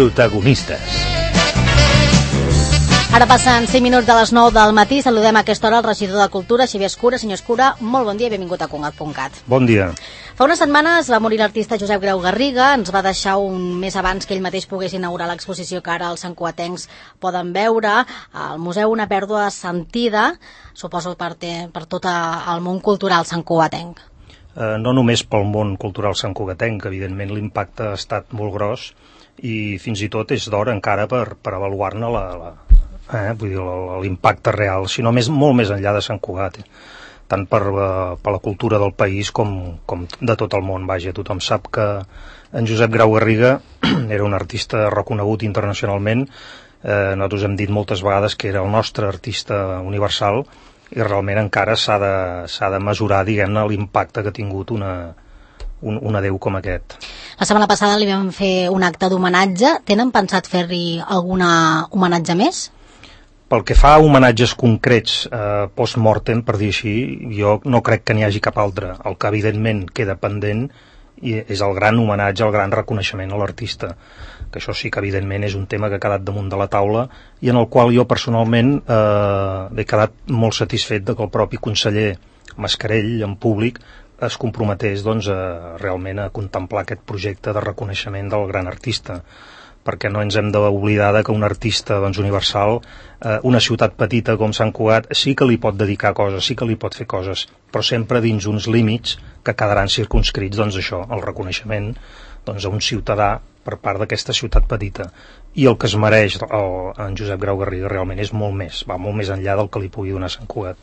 Protagonistes. Ara passen 5 minuts de les 9 del matí. Saludem a aquesta hora el regidor de Cultura, Xavier Escura. Senyor Escura, molt bon dia i benvingut a Congat.cat. Bon dia. Fa unes setmanes va morir l'artista Josep Grau Garriga. Ens va deixar un mes abans que ell mateix pogués inaugurar l'exposició que ara els santcugatencs poden veure. Al museu una pèrdua sentida, suposo per tot el món cultural santcugatenc. No només pel món cultural santcugatenc, evidentment l'impacte ha estat molt gros i fins i tot és d'hora encara per avaluar-ne l'impacte real, sinó molt més enllà de Sant Cugat, tant per la cultura del país com de tot el món. Vaja, tothom sap que en Josep Grau Garriga era un artista reconegut internacionalment. Nosaltres hem dit moltes vegades que era el nostre artista universal i realment encara s'ha de mesurar, diguem-ne, l'impacte que ha tingut un adéu com aquest. La setmana passada li vam fer un acte d'homenatge. Tenen pensat fer-li algun homenatge més? Pel que fa a homenatges concrets post-mortem, per dir així, jo no crec que n'hi hagi cap altre. El que evidentment queda pendent és el gran homenatge, el gran reconeixement a l'artista, que això sí que evidentment és un tema que ha quedat damunt de la taula i en el qual jo personalment he quedat molt satisfet de que el propi conseller Mascarell, en públic, es comprometés realment a contemplar aquest projecte de reconeixement del gran artista, perquè no ens hem d'oblidar que un artista universal, una ciutat petita com Sant Cugat, sí que li pot dedicar coses, sí que li pot fer coses, però sempre dins uns límits que quedaran circumscrits, això, el reconeixement a un ciutadà per part d'aquesta ciutat petita. I el que es mereix en Josep Grau Garriga realment és molt més, va molt més enllà del que li pugui donar Sant Cugat.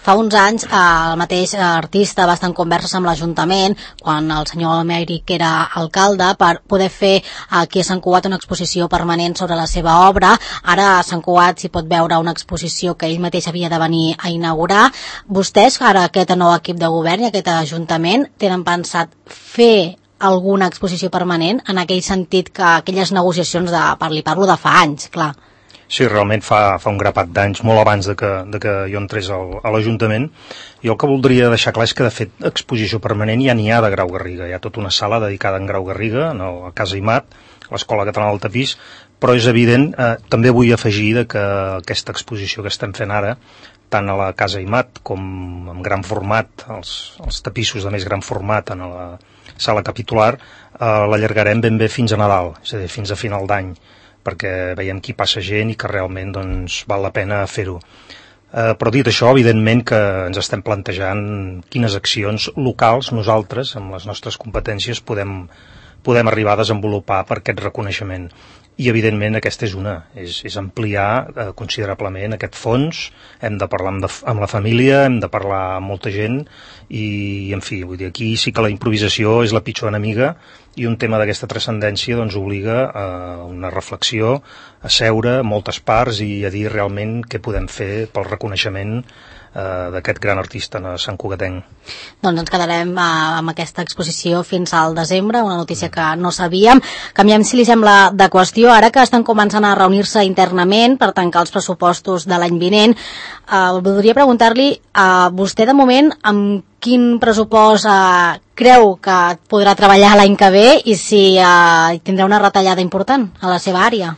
Fa uns anys el mateix artista va estar en converses amb l'Ajuntament, quan el senyor Amèric era alcalde, per poder fer aquí a Sant Cugat una exposició permanent sobre la seva obra. Ara a Sant Cugat s'hi pot veure una exposició que ell mateix havia de venir a inaugurar. Vostès, ara aquest nou equip de govern i aquest Ajuntament, tenen pensat fer alguna exposició permanent, en aquell sentit que aquelles negociacions li parlo de fa anys, clar. Sí, realment fa un grapat d'anys, molt abans de que jo entrés a l'Ajuntament. Jo el que voldria deixar clar és que, de fet, exposició permanent ja n'hi ha de Grau Garriga. Hi ha tota una sala dedicada a en Grau Garriga, a Casa Imat, a l'Escola Catalana del Tapís, però és evident, també vull afegir que aquesta exposició que estem fent ara, tant a la Casa Imat com en gran format, els tapissos de més gran format en la sala capitular, l'allargarem ben bé fins a Nadal, és a dir, fins a final d'any, perquè veiem que hi passa gent i que realment val la pena fer-ho. Però dit això, evidentment que ens estem plantejant quines accions locals nosaltres, amb les nostres competències, podem arribar a desenvolupar per aquest reconeixement. I evidentment aquesta és una, és ampliar considerablement aquest fons. Hem de parlar amb la família, hem de parlar amb molta gent i, en fi, vull dir, aquí sí que la improvisació és la pitjor enemiga i un tema d'aquesta transcendència obliga a una reflexió, a seure moltes parts i a dir realment què podem fer pel reconeixement d'aquest gran artista santcugatenc. Doncs ens quedarem amb aquesta exposició fins al desembre, una notícia que no sabíem. Canviem, si li sembla, de qüestió. Ara que estan començant a reunir-se internament per tancar els pressupostos de l'any vinent, voldria preguntar-li a vostè, de moment, amb quin pressupost creu que podrà treballar l'any que ve i si tindrà una retallada important a la seva àrea?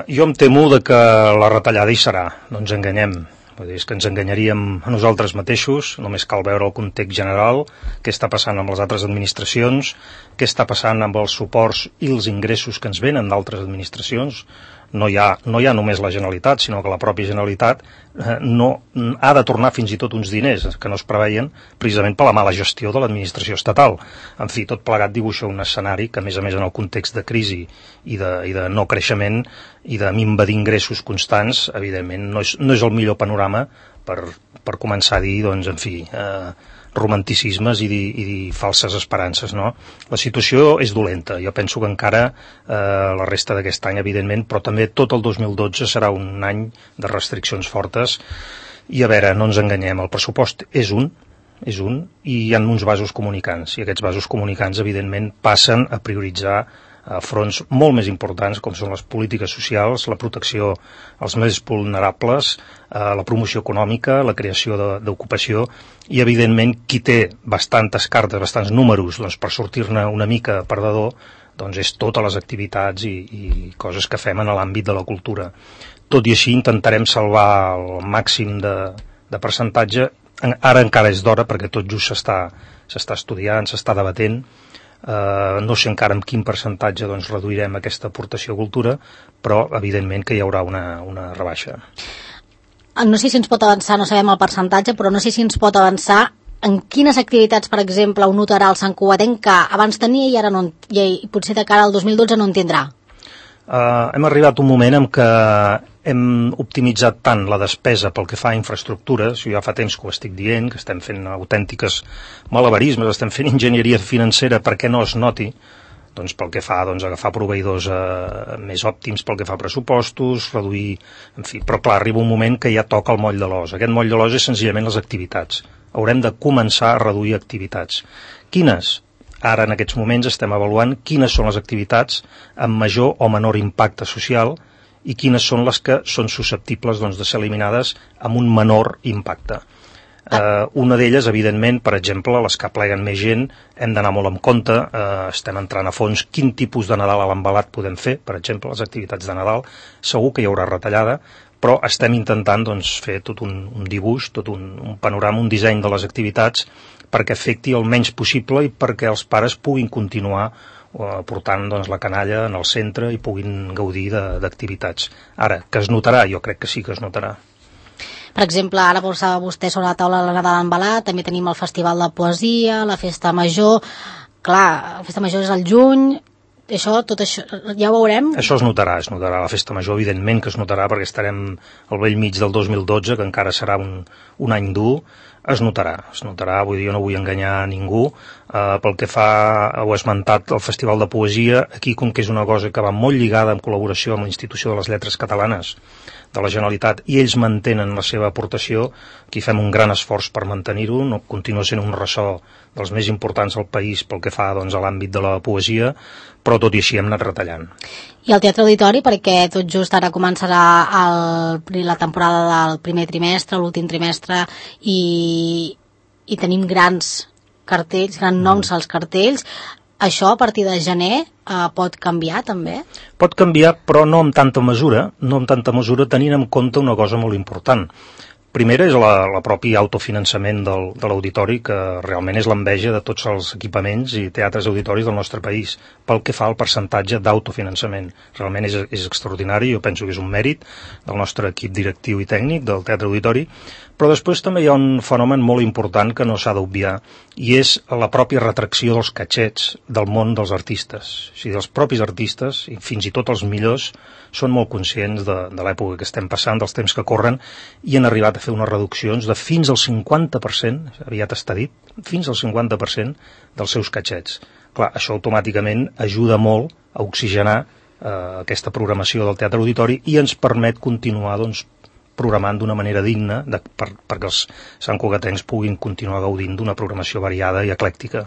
Jo em temo que la retallada hi serà, no ens enganyem. És que ens enganyaríem a nosaltres mateixos, només cal veure el context general, què està passant amb les altres administracions, què està passant amb els suports i els ingressos que ens venen d'altres administracions. No hi ha només la Generalitat, sinó que la pròpia Generalitat ha de tornar fins i tot uns diners que no es preveien precisament per la mala gestió de l'administració estatal. En fi, tot plegat dibuixa un escenari que, a més en el context de crisi i de no creixement i de minva d'ingressos constants, evidentment no és el millor panorama per començar a dir, en fi, romanticismes i dir falses esperances, no? La situació és dolenta. Jo penso que encara la resta d'aquest any, evidentment, però també tot el 2012 serà un any de restriccions fortes i, a veure, no ens enganyem, el pressupost és un i hi ha uns vasos comunicants i aquests vasos comunicants, evidentment, passen a prioritzar fronts molt més importants com són les polítiques socials, la protecció als més vulnerables, la promoció econòmica, la creació d'ocupació i, evidentment, qui té bastantes cartes, bastants números per sortir-ne una mica perdedor, doncs és totes les activitats i coses que fem en l'àmbit de la cultura. Tot i així intentarem salvar el màxim de percentatge. Ara encara és d'hora perquè tot just s'està estudiant, s'està debatent. No sé encara en quin percentatge doncs, reduirem aquesta aportació a cultura, però evidentment que hi haurà una rebaixa. No sé si ens pot avançar, no sabem el percentatge, però no sé si ens pot avançar en quines activitats, per exemple, ho notarà el Sant Cugatenc que abans tenia i ara no, i potser de cara al 2012 no en tindrà. Hem arribat a un moment en què hem optimitzat tant la despesa pel que fa a infraestructures, jo ja fa temps que ho estic dient, que estem fent autèntiques malabarismes, estem fent enginyeria financera perquè no es noti, doncs pel que fa a agafar proveïdors més òptims pel que fa a pressupostos, reduir, en fi, però clar, arriba un moment que ja toca el moll de l'os. Aquest moll de l'os és senzillament les activitats. Haurem de començar a reduir activitats. Quines? Ara, en aquests moments, estem avaluant quines són les activitats amb major o menor impacte social i quines són les que són susceptibles de ser eliminades amb un menor impacte. Una d'elles, evidentment, per exemple, les que apleguen més gent, hem d'anar molt en compte, estem entrant a fons quin tipus de Nadal a l'embalat podem fer, per exemple, les activitats de Nadal, segur que hi haurà retallada, però estem intentant fer tot un dibuix, tot un panorama, un disseny de les activitats perquè afecti el menys possible i perquè els pares puguin continuar portant la canalla en el centre i puguin gaudir d'activitats. Ara, que es notarà? Jo crec que sí que es notarà. Per exemple, ara posava vostè sobre la taula la Nadal embalat, també tenim el Festival de Poesia, la Festa Major. Clar, la Festa Major és al juny, tot això ja ho veurem? Això es notarà. La Festa Major, evidentment que es notarà, perquè estarem al bell mig del 2012, que encara serà un any dur. Es notarà, vull dir, jo no vull enganyar a ningú. Pel que fa, ho he esmentat, el Festival de Poesia, aquí com que és una cosa que va molt lligada en col·laboració amb l'Institució de les Lletres Catalanes de la Generalitat, i ells mantenen la seva aportació, aquí fem un gran esforç per mantenir-ho, no continua sent un ressò dels més importants del país pel que fa a l'àmbit de la poesia, però tot i així hem anat retallant. I el Teatre Auditori, perquè tot just ara començarà la temporada del primer trimestre, l'últim trimestre, i tenim grans cartells, grans noms als cartells. Això a partir de gener pot canviar també? Pot canviar, però no amb tanta mesura, tenint en compte una cosa molt important. Primera és la propi autofinançament de l'auditori, que realment és l'enveja de tots els equipaments i teatres auditoris del nostre país, pel que fa al percentatge d'autofinançament. Realment és extraordinari, jo penso que és un mèrit del nostre equip directiu i tècnic del Teatre Auditori, però després també hi ha un fenomen molt important que no s'ha d'obviar, i és la pròpia retracció dels catxets del món dels artistes. O sigui, els propis artistes, i fins i tot els millors, són molt conscients de l'època que estem passant, dels temps que corren, i han arribat a fer unes reduccions de fins al 50%, aviat està dit, fins al 50% dels seus catxets. Clar, això automàticament ajuda molt a oxigenar aquesta programació del Teatre Auditori i ens permet continuar, programant d'una manera digna perquè els santcugatencs puguin continuar gaudint d'una programació variada i eclèctica.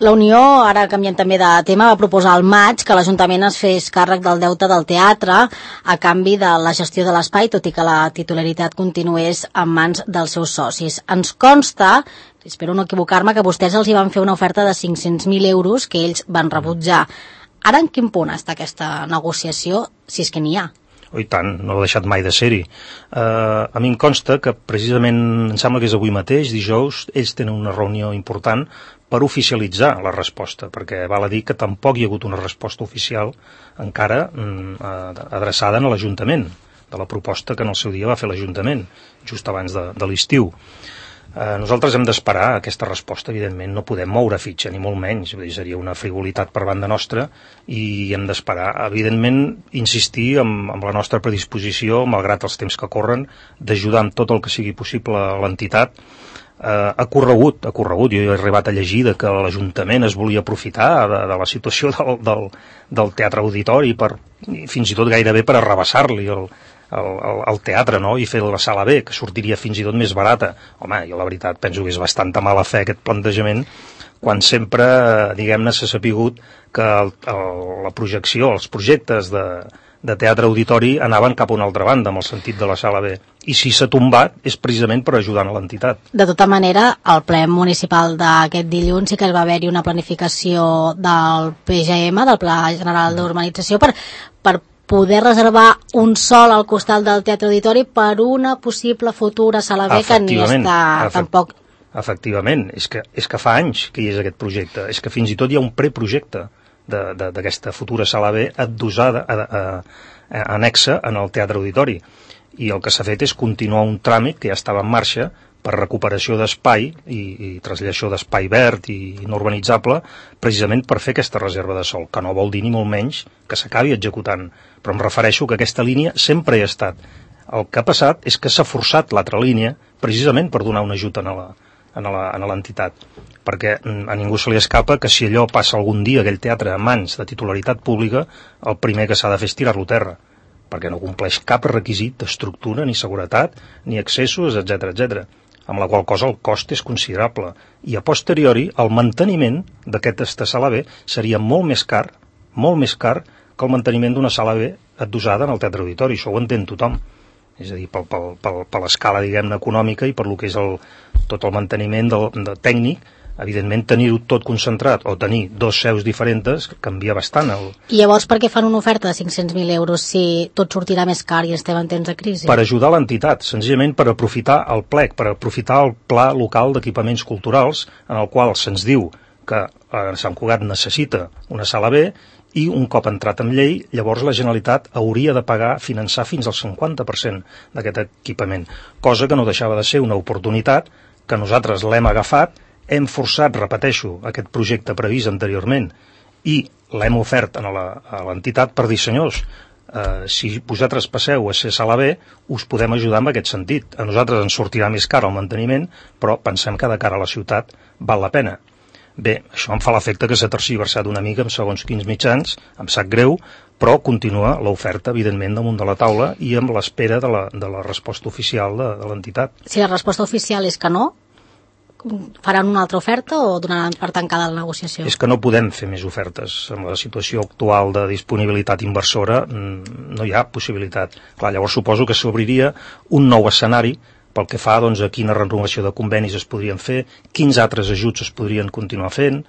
La Unió, ara canviant també de tema, va proposar al maig que l'Ajuntament es fes càrrec del deute del teatre a canvi de la gestió de l'espai, tot i que la titularitat continués en mans dels seus socis. Ens consta, espero no equivocar-me, que vostès els hi van fer una oferta de 500.000 euros que ells van rebutjar. Ara en quin punt està aquesta negociació, si és que n'hi ha? I tant, no ha deixat mai de ser-hi. A mi em consta que precisament, em sembla que és avui mateix, dijous, ells tenen una reunió important per oficialitzar la resposta, perquè val a dir que tampoc hi ha hagut una resposta oficial encara adreçada a l'Ajuntament, de la proposta que en el seu dia va fer l'Ajuntament, just abans de l'estiu. Nosaltres hem d'esperar aquesta resposta, evidentment, no podem moure fitxa, ni molt menys, seria una frivolitat per banda nostra, i hem d'esperar, evidentment, insistir amb la nostra predisposició, malgrat els temps que corren, d'ajudar amb tot el que sigui possible a l'entitat. Ha corregut, jo he arribat a llegir que l'Ajuntament es volia aprofitar de la situació del Teatre Auditori, fins i tot gairebé per arrabassar-li el teatre, no? I fer la sala B, que sortiria fins i tot més barata. Home, jo la veritat penso que és bastanta mala fe aquest plantejament, quan sempre, diguem-ne, s'ha sapigut que la projecció, els projectes de teatre-auditori anaven cap a una altra banda, amb el sentit de la sala B. I si s'ha tombat és precisament per ajudar a l'entitat. De tota manera, al ple municipal d'aquest dilluns sí que va haver-hi una planificació del PGM, del Pla General d'Urbanització, per poder reservar un sol al costat del Teatre Auditori per una possible futura sala B que ni està tampoc... Efectivament, és que fa anys que hi és aquest projecte, és que fins i tot hi ha un preprojecte d'aquesta futura sala B adossada, anexa en el Teatre Auditori, i el que s'ha fet és continuar un tràmit que ja estava en marxa per recuperació d'espai i traslladar d'espai verd i no urbanitzable, precisament per fer aquesta reserva de sòl, que no vol dir ni molt menys que s'acabi executant, però em refereixo que aquesta línia sempre hi ha estat. El que ha passat és que s'ha forçat l'altra línia precisament per donar un ajut a l'entitat, perquè a ningú se li escapa que si allò passa algun dia, aquell teatre, a mans de titularitat pública, el primer que s'ha de fer és tirar-lo a terra, perquè no compleix cap requisit d'estructura, ni seguretat, ni accessos, etc., amb la qual cosa el cost és considerable. I a posteriori, el manteniment d'aquesta sala B seria molt més car que el manteniment d'una sala B adossada en el Teatre Auditori. Això ho entén tothom. És a dir, per l'escala, diguem-ne, econòmica i per lo que és tot el manteniment tècnic, evidentment tenir-ho tot concentrat o tenir dos seus diferents canvia bastant. I llavors per què fan una oferta de 500.000 euros si tot sortirà més car i estem en temps de crisi? Per ajudar l'entitat, senzillament per aprofitar el plec, per aprofitar el pla local d'equipaments culturals, en el qual se'ns diu que Sant Cugat necessita una sala B, i un cop entrat en llei, llavors la Generalitat hauria de finançar fins al 50% d'aquest equipament, cosa que no deixava de ser una oportunitat que nosaltres l'hem agafat, hem forçat, repeteixo, aquest projecte previst anteriorment i l'hem ofert a l'entitat per dir, senyors, si vosaltres passeu a ser sala B, us podem ajudar en aquest sentit. A nosaltres ens sortirà més car el manteniment, però pensem que de cara a la ciutat val la pena. Bé, això em fa l'efecte que s'ha tergiversat una mica amb segons quins mitjans, em sap greu, però continua l'oferta, evidentment, damunt de la taula i amb l'espera de la resposta oficial de l'entitat. Si la resposta oficial és que no, faran una altra oferta o donaran per tancada la negociació? És que no podem fer més ofertes. En la situació actual de disponibilitat inversora no hi ha possibilitat. Clar, llavors suposo que s'obriria un nou escenari pel que fa doncs, a quina renovació de convenis es podrien fer, quins altres ajuts es podrien continuar fent.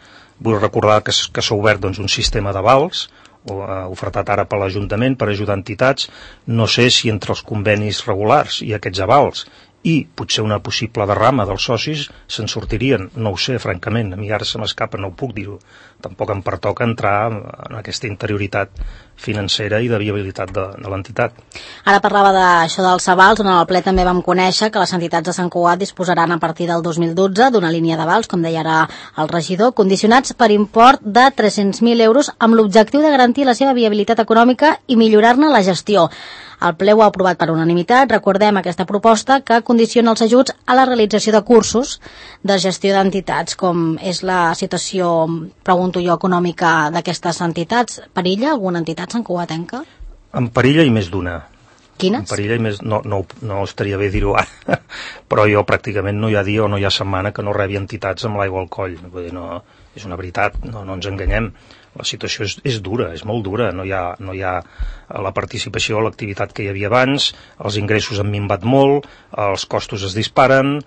Vull recordar que s'ha obert doncs, un sistema d'avals, ofertat ara per l'Ajuntament per ajudar entitats. No sé si entre els convenis regulars i aquests avals i potser una possible derrama dels socis se'n sortirien, no ho sé, francament, a mi ara se m'escapa, no ho puc dir-ho. Tampoc em pertoca entrar en aquesta interioritat financera i de viabilitat de l'entitat. Ara parlava d'això dels avals, on en el ple també vam conèixer que les entitats de Sant Cugat disposaran a partir del 2012 d'una línia d'avals, com deia ara el regidor, condicionats per import de 300.000 euros amb l'objectiu de garantir la seva viabilitat econòmica i millorar-ne la gestió. El ple ho ha aprovat per unanimitat. Recordem aquesta proposta que condiciona els ajuts a la realització de cursos de gestió d'entitats, com és la situació, pregunto jo, econòmica d'aquestes entitats. Perilla alguna entitat santcugatenca? En perilla i més d'una. Quines? En perilla i més... No estaria bé dir-ho ara, però jo pràcticament no hi ha dia o no hi ha setmana que no rebi entitats amb l'aigua al coll. Vull dir, no, és una veritat, no ens enganyem. La situació és dura, és molt dura, no hi ha la participació, l'activitat que hi havia abans, els ingressos han minvat molt, els costos es disparen,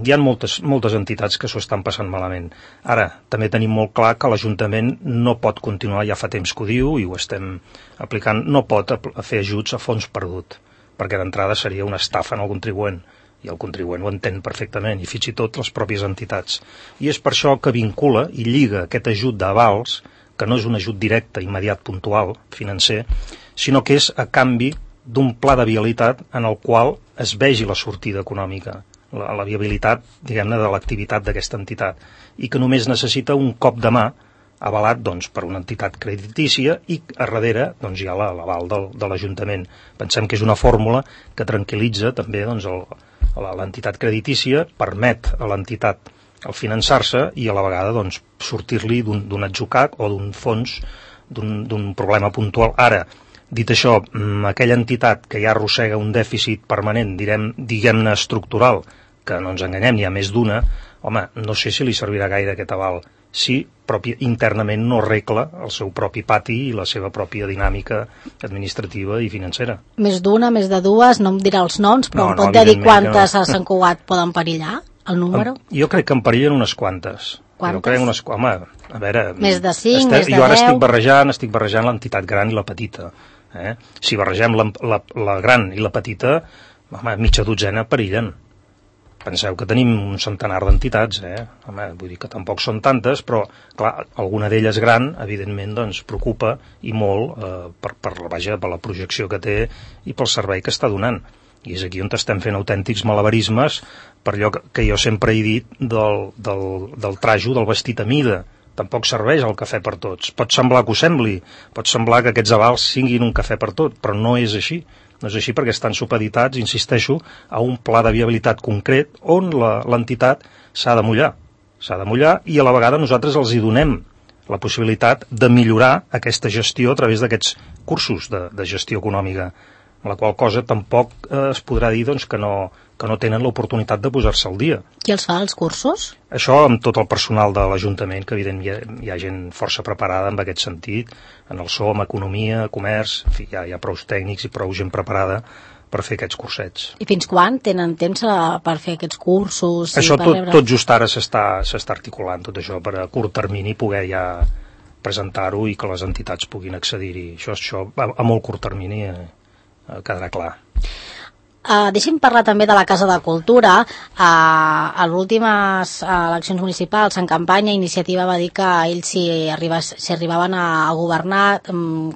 hi ha moltes entitats que s'ho estan passant malament. Ara, també tenim molt clar que l'Ajuntament no pot continuar, ja fa temps que ho diu i ho estem aplicant, no pot fer ajuts a fons perdut, perquè d'entrada seria una estafa en el contribuent. I el contribuent ho entén perfectament, i fins i tot les pròpies entitats. I és per això que vincula i lliga aquest ajut d'avals, que no és un ajut directe, immediat, puntual, financer, sinó que és a canvi d'un pla de viabilitat en el qual es vegi la sortida econòmica, la viabilitat, diguem-ne, de l'activitat d'aquesta entitat, i que només necessita un cop de mà avalat doncs, per una entitat creditícia i a darrere doncs, hi ha l'aval de l'Ajuntament. Pensem que és una fórmula que tranquil·litza també doncs, l'entitat creditícia, permet a l'entitat el finançar-se i a la vegada doncs, sortir-li d'un atzucac o d'un fons d'un problema puntual. Ara, dit això, aquella entitat que ja arrossega un dèficit permanent, diguem-ne estructural, que no ens enganyem, n'hi ha més d'una, home, no sé si li servirà gaire aquest aval. si internament no arregla el seu propi pati i la seva pròpia dinàmica administrativa i financera. Més d'una, més de dues, no em dirà els noms, però em pot dir quantes a Sant Cugat poden perillar, el número? Jo crec que en perillen unes quantes. Quantes? Home, a veure... Més de 5, més de 10? Jo ara estic barrejant l'entitat gran i la petita. Si barregem la gran i la petita, home, mitja dotzena perillen. Penseu que tenim un centenar d'entitats, Home, vull dir que tampoc són tantes, però, clar, alguna d'elles gran, evidentment, doncs, preocupa i molt per la projecció que té i pel servei que està donant. I és aquí on estem fent autèntics malabarismes per allò que jo sempre he dit del trajo, del vestit a mida. Tampoc serveix el cafè per tots. Pot semblar que ho sembli, pot semblar que aquests avals siguin un cafè per tot, però no és així. No és així perquè estan supeditats, insisteixo, a un pla de viabilitat concret on l'entitat s'ha de mullar. S'ha de mullar i a la vegada nosaltres els hi donem la possibilitat de millorar aquesta gestió a través d'aquests cursos de gestió econòmica, amb la qual cosa tampoc es podrà dir doncs, que no tenen l'oportunitat de posar-se al dia. Qui els fa, els cursos? Això amb tot el personal de l'Ajuntament, que evidentment hi ha gent força preparada en aquest sentit, en el SOM, economia, comerç, en fi, hi ha prou tècnics i prou gent preparada per fer aquests cursets. I fins quan tenen temps per fer aquests cursos? Això tot just ara s'està articulant, tot això, per a curt termini poder ja presentar-ho i que les entitats puguin accedir-hi. Això a molt curt termini quedarà clar. Deixi'm parlar també de la Casa de Cultura. A les últimes eleccions municipals en campanya, Iniciativa va dir que ells, si arribaven a governar,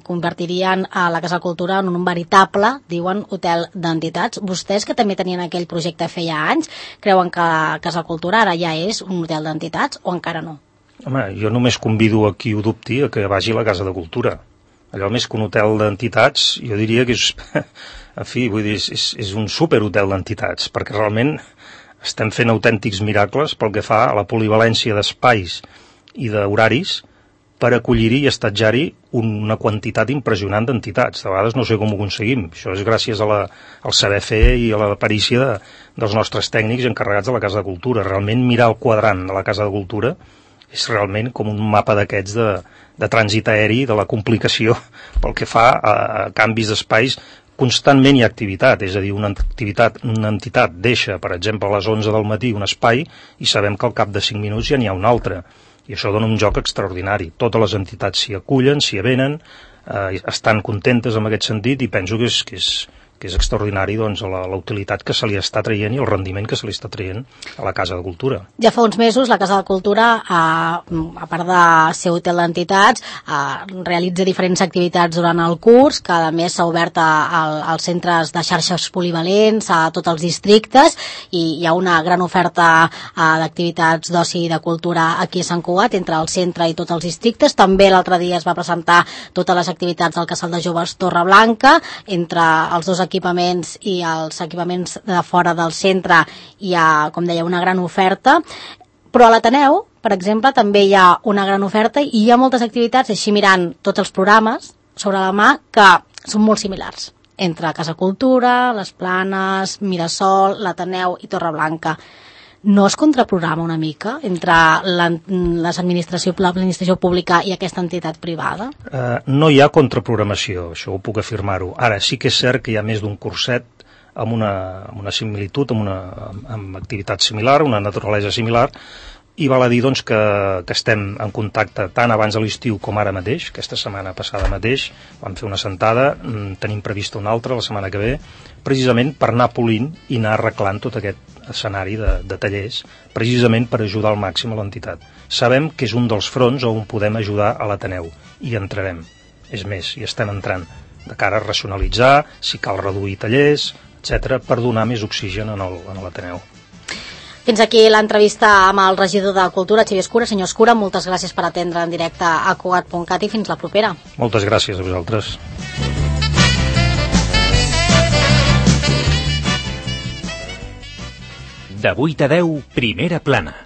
convertirien la Casa de Cultura en un veritable, diuen, hotel d'entitats. Vostès, que també tenien aquell projecte feia anys, creuen que la Casa de Cultura ara ja és un hotel d'entitats o encara no? Home, jo només convido a qui ho dubti a que vagi a la Casa de Cultura. Allò més que un hotel d'entitats, jo diria que és... En fi, vull dir, és un superhotel d'entitats, perquè realment estem fent autèntics miracles pel que fa a la polivalència d'espais i d'horaris per acollir-hi i estatjar-hi una quantitat impressionant d'entitats. De vegades no sé com ho aconseguim. Això és gràcies al saber fer i a la perícia dels nostres tècnics encarregats de la Casa de Cultura. Realment mirar el quadrant de la Casa de Cultura és realment com un mapa d'aquests de trànsit aeri, de la complicació pel que fa a canvis d'espais. Constantment hi ha activitat, és a dir, una entitat deixa, per exemple, a les 11 del matí un espai i sabem que al cap de 5 minuts ja n'hi ha un altre. I això dona un joc extraordinari. Totes les entitats s'hi acullen, s'hi avenen, estan contentes en aquest sentit i penso que és extraordinari doncs, la utilitat que se li està traient i el rendiment que se li està traient a la Casa de Cultura. Ja fa uns mesos la Casa de Cultura, a part de ser hotel d'entitats, realitza diferents activitats durant el curs, que a més s'ha obert als centres de xarxes polivalents, a tots els districtes, i hi ha una gran oferta d'activitats d'oci i de cultura aquí a Sant Cugat, entre el centre i tots els districtes. També l'altre dia es va presentar totes les activitats del Casal de Joves Torreblanca, entre els dos equipaments i els equipaments de fora del centre hi ha, com deia, una gran oferta, però a l'Ateneu, per exemple, també hi ha una gran oferta i hi ha moltes activitats, així mirant tots els programes sobre la mà, que són molt similars entre Casa Cultura, Les Planes, Mirasol, l'Ateneu i Torreblanca. No es contraprograma una mica entre l'administració pública i aquesta entitat privada? No hi ha contraprogramació, això ho puc afirmar-ho. Ara, sí que és cert que hi ha més d'un curset amb una similitud, amb activitat similar, una naturalesa similar, i val a dir doncs, que estem en contacte tant abans de l'estiu com ara mateix. Aquesta setmana passada mateix vam fer una sentada, tenim prevista una altra la setmana que ve, precisament per anar polint i anar arreglant tot aquest escenari de tallers, precisament per ajudar al màxim a l'entitat. Sabem que és un dels fronts on podem ajudar a l'Ateneu, i entrarem. És més, hi estem entrant, de cara a racionalitzar, si cal reduir tallers, etc., per donar més oxigen a l'Ateneu. Fins aquí l'entrevista amb el regidor de Cultura, Xavier Escura. Senyor Escura, moltes gràcies per atendre en directe a Cugat.cat i fins la propera. Moltes gràcies a vosaltres. De 8 a 10, Primera Plana.